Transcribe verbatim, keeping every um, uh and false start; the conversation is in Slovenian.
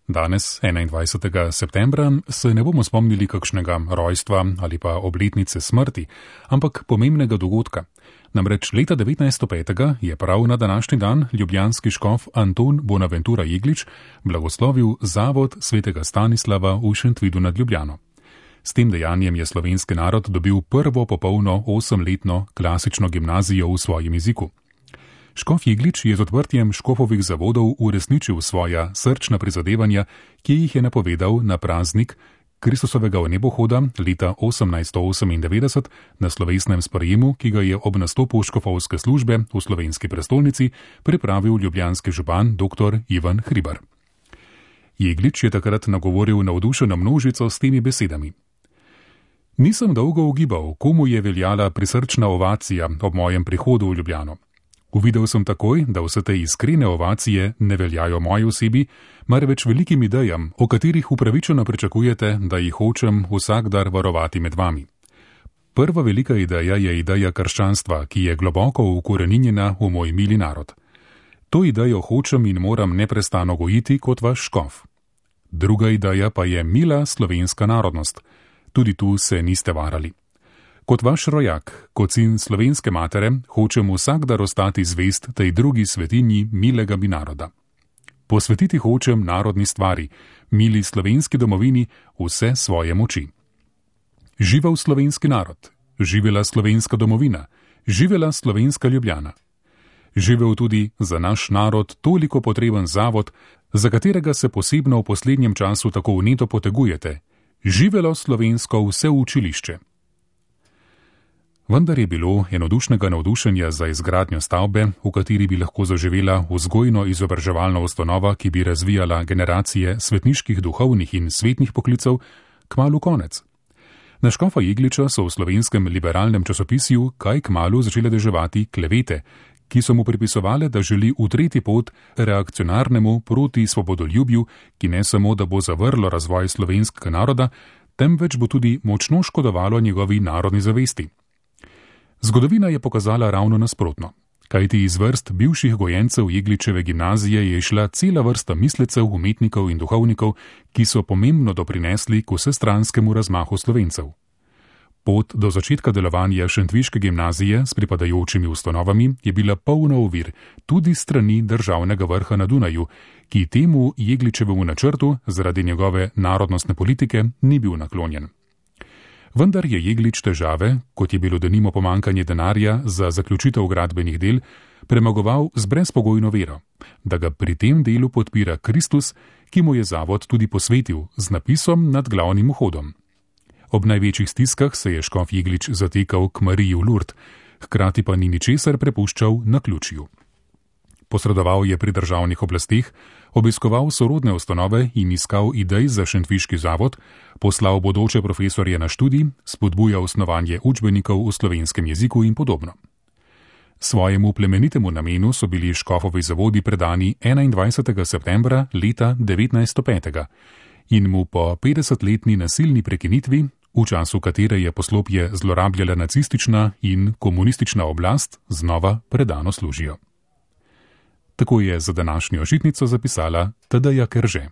Danes, enaindvajsetega septembra, se ne bomo spomnili kakšnega rojstva ali pa obletnice smrti, ampak pomembnega dogodka. Namreč leta devetnajststo petega je prav na današnji dan ljubljanski škof Anton Bonaventura Jeglič blagoslovil zavod svetega Stanislava v Šentvidu nad Ljubljano. S tem dejanjem je slovenski narod dobil prvo popolno osemletno klasično gimnazijo v svojem jeziku. Škof Jeglič je z odprtjem škofovih zavodov uresničil svoja srčna prizadevanja, ki jih je napovedal na praznik Kristusovega vnebohoda leta osemnajststo osemindevetdeset na slovesnem sprejemu, ki ga je ob nastopu škofovske službe v slovenski prestolnici pripravil ljubljanski župan dr. Ivan Hribar. Jeglič je takrat nagovoril navdušeno množico s temi besedami. Nisem dolgo ugibal, komu je veljala prisrčna ovacija ob mojem prihodu v Ljubljano. Uvidel sem takoj, da vse te iskrene ovacije ne veljajo moji osebi, marveč velikim idejam, o katerih upravičeno pričakujete, da jih hočem vsak dar varovati med vami. Prva velika ideja je ideja krščanstva, ki je globoko ukoreninjena v moj mili narod. To idejo hočem in moram neprestano gojiti kot vaš škof. Druga ideja pa je mila slovenska narodnost. Tudi tu se niste varali. Kot vaš rojak, kot sin slovenske matere, hočem vsak dar ostati zvest tej drugi svetinji milega mi naroda. Posvetiti hočem narodni stvari, mili slovenski domovini, vse svoje moči. Živel slovenski narod, živela slovenska domovina, živela slovenska Ljubljana. Živel tudi za naš narod toliko potreben zavod, za katerega se posebno v poslednjem času tako vneto potegujete. Živelo slovensko vse učilišče. Vendar je bilo enodušnega navdušenja za izgradnjo stavbe, v kateri bi lahko zaživela vzgojno-izobraževalna ustanova, ki bi razvijala generacije svetniških duhovnih in svetnih poklicev, kmalu konec. Na škofa Jegliča so v slovenskem liberalnem časopisju kaj kmalu začele deževati klevete, ki so mu pripisovale, da želi utreti pot reakcionarnemu proti svobodoljubju, ki ne samo, da bo zavrlo razvoj slovenskega naroda, temveč bo tudi močno škodovalo njegovi narodni zavesti. Zgodovina je pokazala ravno nasprotno, kajti iz vrst bivših gojencev Jegličeve gimnazije je išla cela vrsta mislecev, umetnikov in duhovnikov, ki so pomembno doprinesli k vsestranskemu razmahu Slovencev. Pot do začetka delovanja šentviške gimnazije s pripadajočimi ustanovami je bila polna ovir tudi strani državnega vrha na Dunaju, ki temu Jegličevemu načrtu zaradi njegove narodnostne politike ni bil naklonjen. Vendar je Jeglič težave, kot je bilo denimo pomankanje denarja za zaključitev gradbenih del, premagoval z brezpogojno vero, da ga pri tem delu podpira Kristus, ki mu je zavod tudi posvetil z napisom nad glavnim vhodom. Ob največjih stiskah se je škof Jeglič zatekal k Mariji v Lurd, hkrati pa ni ničesar prepuščal naključju. Posredoval je pri državnih oblasteh, obiskoval sorodne ustanove in iskal idej za šentviški zavod, poslal bodoče profesorje na študij, spodbujal snovanje učbenikov v slovenskem jeziku in podobno. Svojemu plemenitemu namenu so bili škofovi zavodi predani enaindvajsetega septembra leta devetnajststo petega in mu po petdesetletni nasilni prekinitvi, v času katere je poslopje zlorabljala nacistična in komunistična oblast, znova predano služijo. Tako je za današnjo žitnico zapisala Tadeja Kerže.